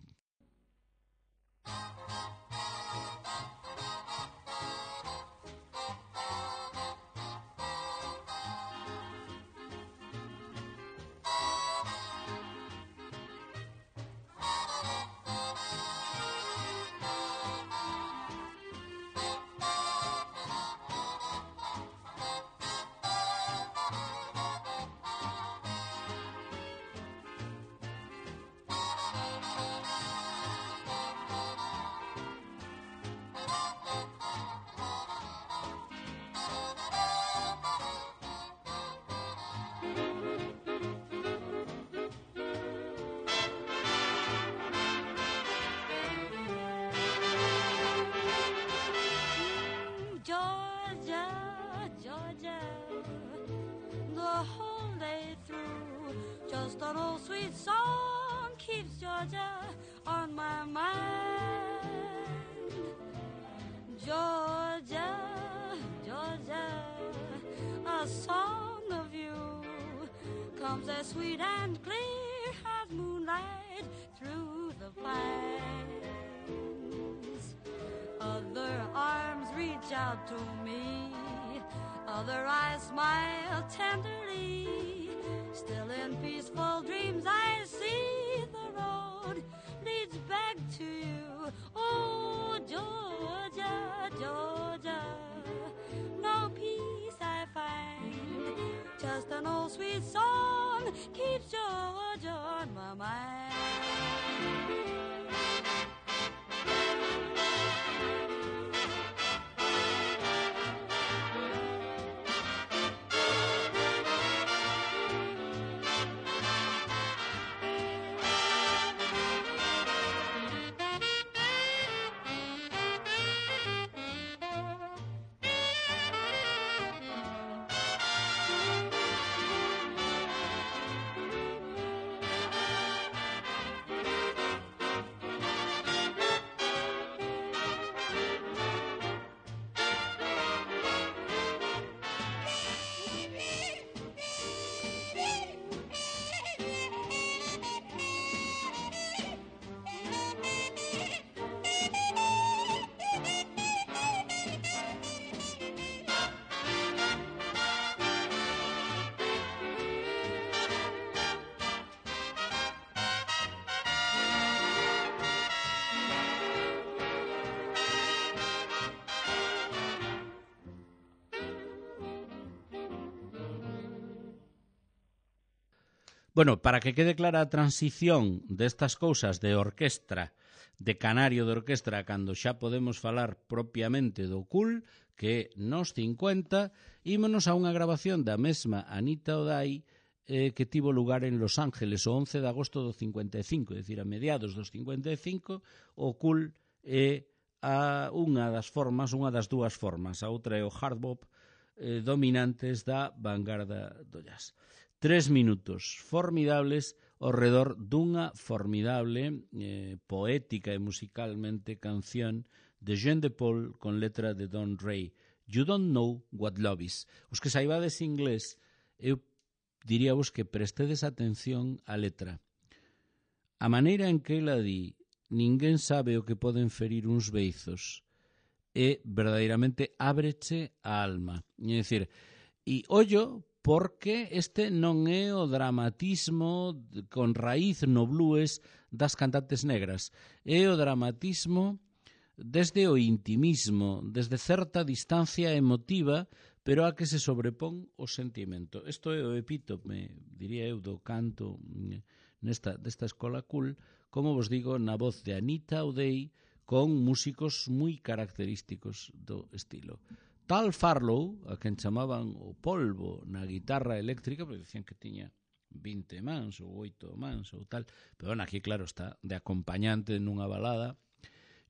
An old sweet song keeps Georgia on my mind. Georgia, Georgia, a song of you comes as sweet and clear as moonlight through the pines. Other arms reach out to me, other eyes smile tenderly. Still in peaceful dreams I see the road leads back to you. Oh, Georgia, Georgia, no peace I find. Just an old sweet song keeps Georgia on my mind. Bueno, para que quede clara a transición destas cousas de orquestra, de canario de orquestra, cando xa podemos falar propiamente do cool, que nos cincuenta, ímonos a unha grabación da mesma Anita O'Day, eh, que tivo lugar en Los Ángeles o once de agosto do cincuenta e cinco, é dicir, a mediados dos cincuenta e cinco, o cool é a unha das formas, unha das dúas formas, a outra é o hard bop, eh, dominantes da vanguarda do jazz. Tres minutos formidables ao redor dunha formidable, eh, poética e musicalmente canción de Jean de Paul con letra de Don Ray. You don't know what love is. Os que saibades inglés, eu diríavos que prestedes atención á letra. A maneira en que ela di ninguén sabe o que poden ferir uns beizos e verdadeiramente ábreche a alma. É dicir, e ollo, porque este non é o dramatismo con raíz no blues das cantantes negras. É o dramatismo desde o intimismo, desde certa distancia emotiva, pero a que se sobrepón o sentimento. Isto é o epítome, diría eu, do canto nesta, desta escola cool, como vos digo, na voz de Anita O'Day, con músicos moi característicos do estilo. Tal Farlow, a quen chamaban o polvo na guitarra eléctrica, porque dicían que tiña vinte mans ou oito mans ou tal, pero bueno, aquí claro está de acompañante nunha balada.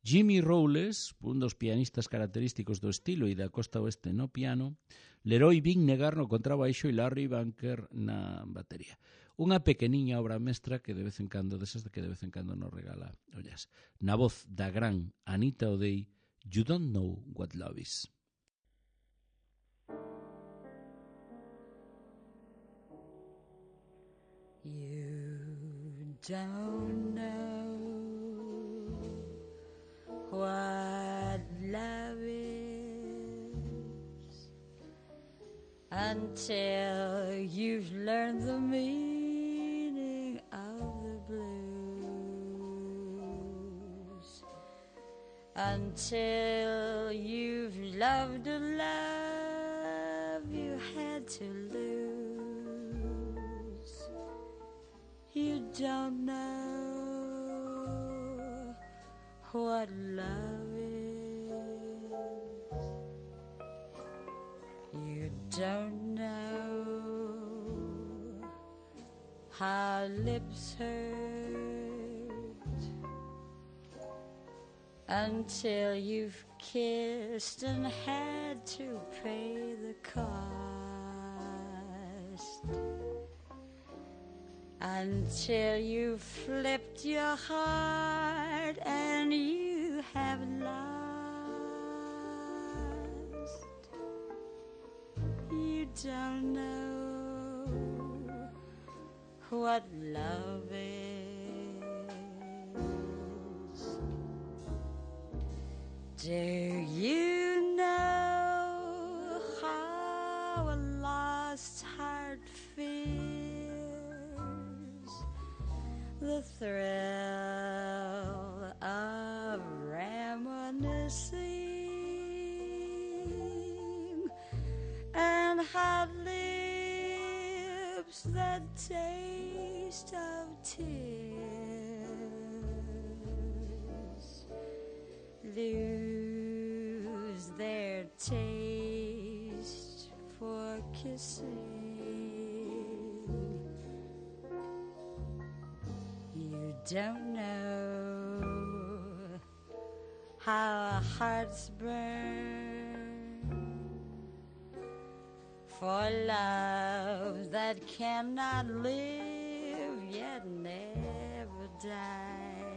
Jimmy Rowles, un dos pianistas característicos do estilo e da costa oeste no piano, Leroy Vinnegar no contrabaixo e Larry Bunker na batería. Unha pequeniña obra mestra que de vez en cando, desas de que de vez en cando nos regala o jazz. Na voz da gran Anita O'Day, You Don't Know What Love Is. You don't know what love is until you've learned the meaning of the blues, until you've loved a love you had to lose. You don't know what love is. You don't know how lips hurt until you've kissed and had to pay the cost. Until you flipped your heart and you have lost. You don't know what love is. Do you know how a lost heart feels? The thrill of reminiscing and hot lips that taste of tears lose their taste for kissing. You don't know how our hearts burn for love that cannot live yet never dies,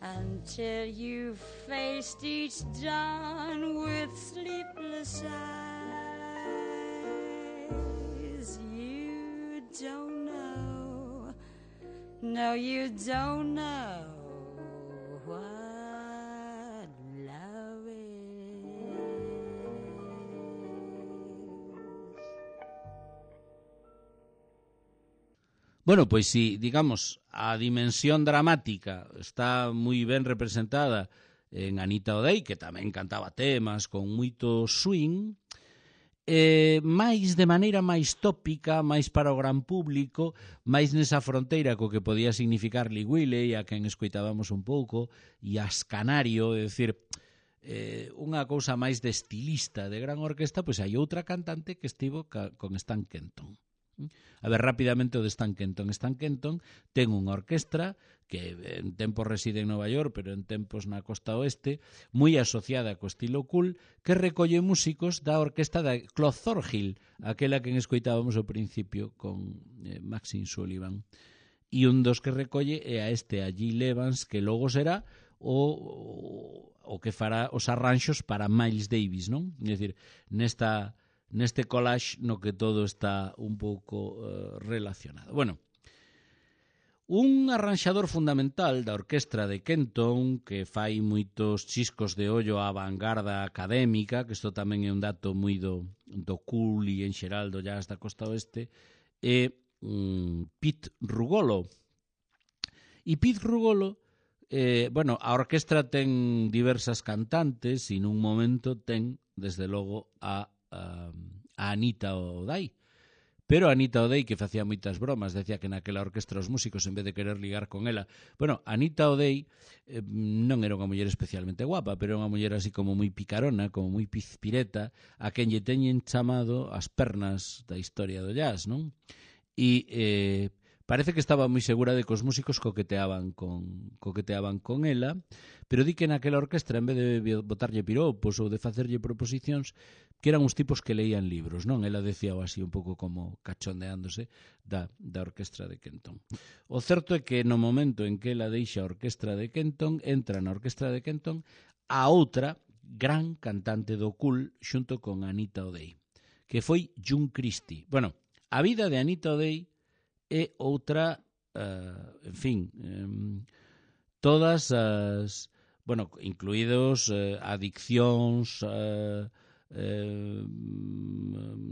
until you've faced each dawn with sleepless eyes. You don't know, no, you don't know what love is. Bueno, pois si, digamos, a dimensión dramática está moi ben representada en Anita O'Day, que tamén cantaba temas con moito swing, eh, máis de maneira máis tópica, máis para o gran público, máis nesa fronteira co que podía significar Lee Wiley, a quen escoitábamos un pouco, e as Canario, é dicir, eh, unha cousa máis de estilista de gran orquesta, pois hai outra cantante que estivo ca, con Stan Kenton. A ver, rapidamente o de Stan Kenton. Stan Kenton ten unha orquestra que en tempos reside en Nova York, pero en tempos na costa oeste, moi asociada co estilo cool, que recolle músicos da orquesta da Claude Thorhill, aquela que escoitábamos ao principio con eh, Maxine Sullivan. E un dos que recolle é a este, a Gil Evans, que logo será o, o que fará os arranxos para Miles Davis, non? É dicir, nesta... neste collage no que todo está un pouco uh, relacionado. Bueno, un arranxador fundamental da orquestra de Kenton, que fai moitos chiscos de ollo á vanguarda académica, que isto tamén é un dato moi do, do cool e en xeral do jazz da costa oeste, é um, Pete Rugolo. E Pete Rugolo, eh, bueno, a orquestra ten diversas cantantes e nun momento ten, desde logo, a a Anita O'Day. Pero a Anita O'Day, que facía moitas bromas, decía que naquela orquestra os músicos, en vez de querer ligar con ela, bueno, Anita O'Day eh, non era unha muller especialmente guapa, pero era unha muller así como moi picarona, como moi pizpireta, a quen lle teñen chamado as pernas da historia do jazz, non? E eh, parece que estaba moi segura de que os músicos coqueteaban con, coqueteaban con ela, pero di que naquela orquestra, en vez de botarlle piropos ou de facerlle proposicións, que eran uns tipos que leían libros, non? Ela decía así un pouco como cachondeándose da, da orquestra de Kenton. O certo é que no momento en que ela deixa a orquestra de Kenton, entra na orquestra de Kenton a outra gran cantante do cool xunto con Anita O'Day, que foi June Christy. Bueno, a vida de Anita O'Day é outra, uh, en fin, um, todas as, bueno, incluídos uh, adiccións, uh, uh,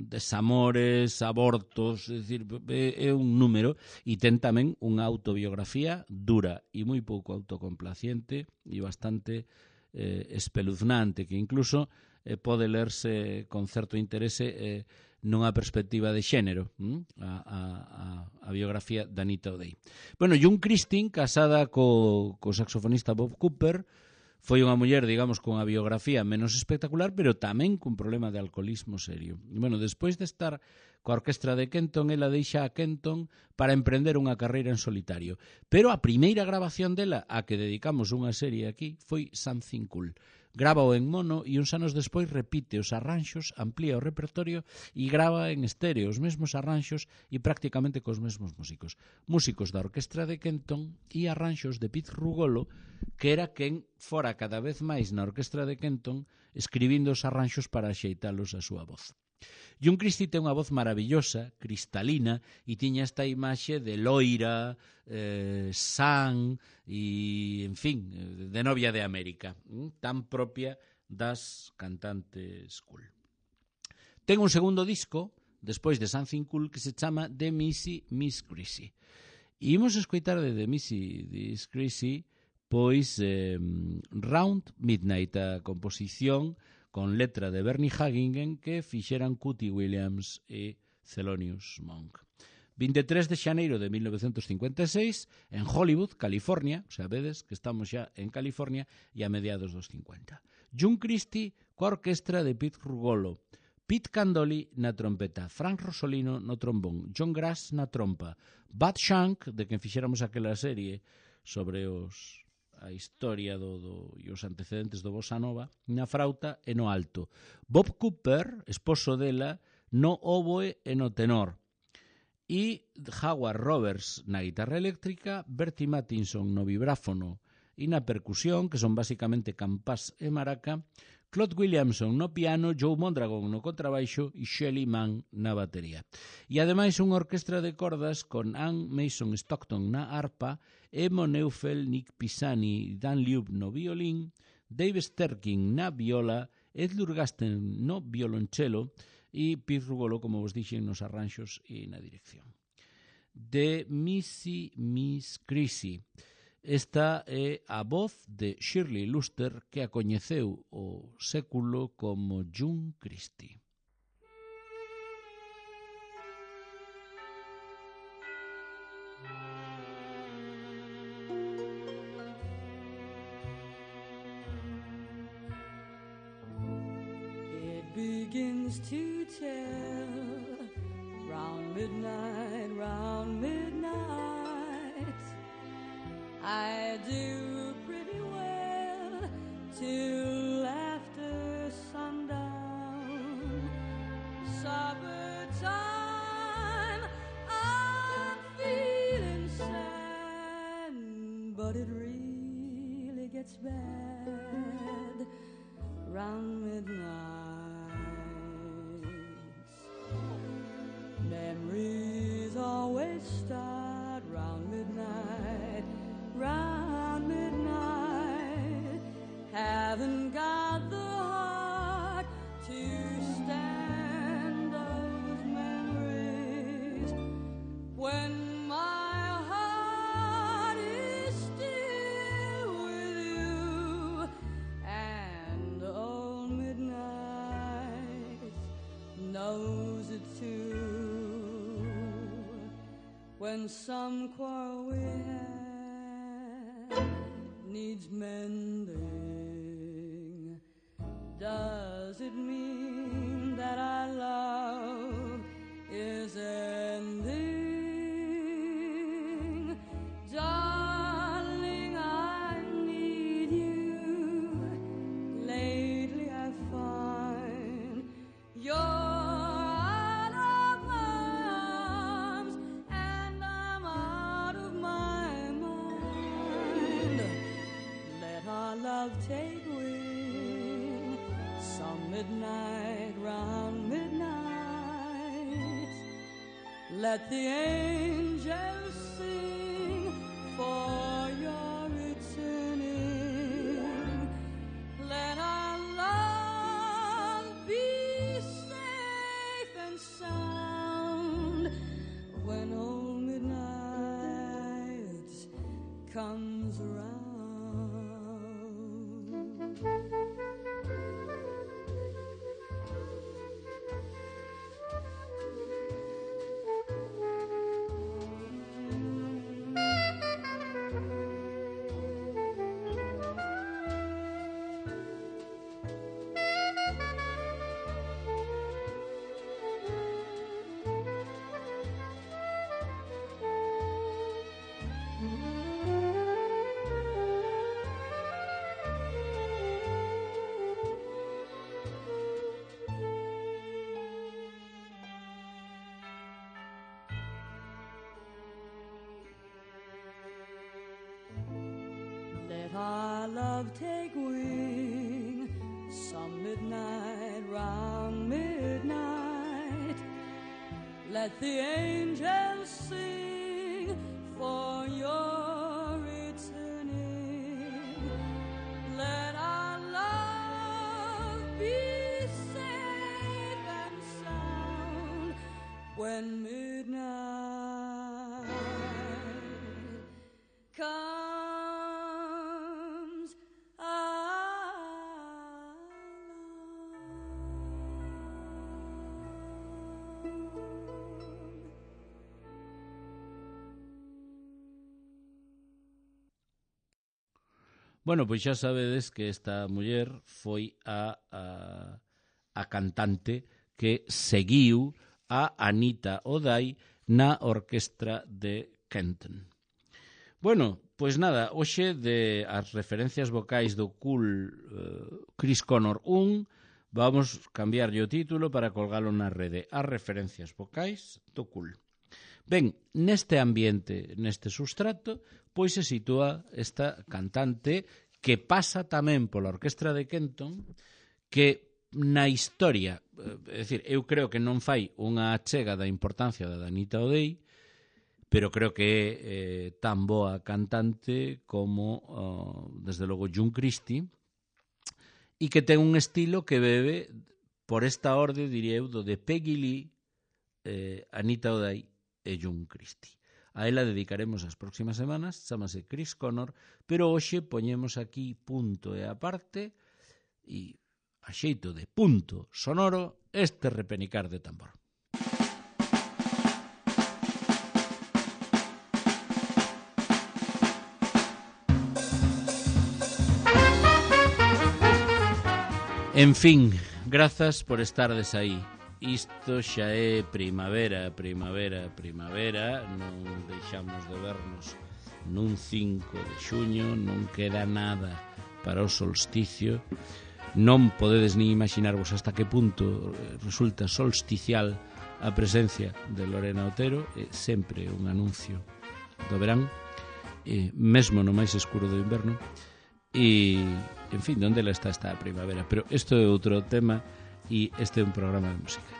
desamores, abortos, é dicir, é, é un número, e ten tamén unha autobiografía dura e moi pouco autocomplaciente e bastante eh, espeluznante, que incluso eh, pode lerse con certo interese eh, nunha perspectiva de xénero, hm? a, a, a biografía de Anita O'Day. Bueno, June Christy, casada co, co saxofonista Bob Cooper, foi unha muller, digamos, con a biografía menos espectacular, pero tamén cun problema de alcoholismo serio. E, bueno, despois de estar coa orquestra de Kenton, ela deixa a Kenton para emprender unha carreira en solitario. Pero a primeira grabación dela, a que dedicamos unha serie aquí, foi Something Cool. Grava-o en mono e uns anos despois repite os arranxos, amplía o repertorio e grava en estéreo os mesmos arranxos e prácticamente cos mesmos músicos. Músicos da orquestra de Kenton e arranxos de Pete Rugolo, que era quen fora cada vez máis na orquestra de Kenton escribindo os arranxos para axeitalos a súa voz. June Christy ten unha voz maravillosa, cristalina, e tiña esta imaxe de loira, eh, san e, en fin, de novia de América, tan propia das cantantes cool. Ten un segundo disco, despois de Something Cool, que se chama The Missy Miss Chrissy. E imos escoitar de The Missy Miss Chrissy, pois, eh, Round Midnight, a composición con letra de Bernie Haggingen que fixeran Cootie Williams e Thelonious Monk. vinte e tres de xaneiro de mil novecentos cincuenta e seis, en Hollywood, California, o sea, vedes que estamos xa en California e a mediados dos cincuenta. June Christy coa orquestra de Pete Rugolo, Pete Candoli na trompeta, Frank Rosolino no trombón, John Grass na trompa, Bud Shank, de quen fixéramos aquela serie sobre os... a historia do, do, e os antecedentes do Bossa Nova, na frauta e no alto. Bob Cooper, esposo dela, no oboe e no tenor. E Howard Roberts na guitarra eléctrica, Bertie Mattinson no vibráfono e na percusión, que son basicamente campás e maraca, Claude Williamson no piano, Joe Mondragon no contrabaixo e Shelly Mann na batería. E ademais unha orquestra de cordas con Ann Mason Stockton na arpa, Emo Neufeld, Nick Pisani e Dan Liub no violín, Dave Sterking na viola, Ed Lurgasten no violonchelo e Pete Rugolo, como vos dixen, nos arranxos e na dirección. The Missy Miss Chrissy. Esta é a voz de Shirley Luster, que a coñeceu o século como June Christy. begins to tell. Round midnight, round midnight, I do pretty well till after sundown. Supper time, I'm feeling sad, but it really gets bad round midnight. Memories always start round midnight, round midnight. Haven't got the heart to stand those memories when my heart is still with you. And old midnight knows it too. When some quarrel we have needs mending, does it mean that our love is ending? Darling, I need you. Lately I find you're take wing. Some midnight, round midnight, let the angels sing for your returning. Let our love be safe and sound when old midnight comes around. Our love take wing. Some midnight, round midnight, let the angels sing for your returning. Let our love be safe and sound when midnight comes. Bueno, pois xa sabedes que esta muller foi a, a, a cantante que seguiu a Anita O'Day na orquestra de Kenton. Bueno, pois nada, hoxe de as referencias vocais do cool uh, Chris Connor un, vamos cambiarlle o título para colgalo na rede. As referencias vocais do cool. Ben, neste ambiente, neste sustrato, pois se sitúa esta cantante que pasa tamén pola orquestra de Kenton, que na historia, é dicir, eu creo que non fai unha achega da importancia da Anita O'Day, pero creo que é eh, tan boa cantante como, uh, desde logo, June Christie, e que ten un estilo que bebe por esta orde, diría eu, do de Peggy Lee, eh, Anita O'Day e June Christie. A ela dedicaremos as próximas semanas, chamase Chris Connor, pero hoxe poñemos aquí punto e aparte e a xeito de punto sonoro este repenicar de tambor. En fin, grazas por estardes aí. Isto xa é primavera, primavera, primavera. Non deixamos de vernos nun cinco de xuño. Non queda nada para o solsticio. Non podedes ni imaginarvos hasta que punto resulta solsticial a presencia de Lorena Otero. É sempre un anuncio do verán, e mesmo no máis escuro do inverno. E, en fin, onde ela está esta primavera. Pero isto é outro tema, e este é un programa de música.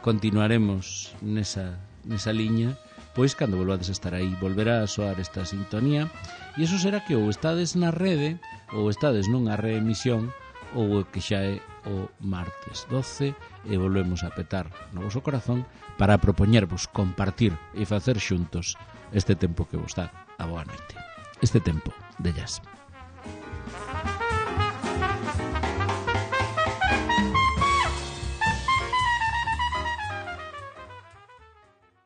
Continuaremos nesa, nesa liña, pois cando volvades a estar aí volverá a soar esta sintonía, e iso será que ou estades na rede ou estades nunha reemisión, ou que xa é o martes doce, e volvemos a petar no voso corazón para propoñervos compartir e facer xuntos este tempo que vos dá a boa noite, este tempo de jazz.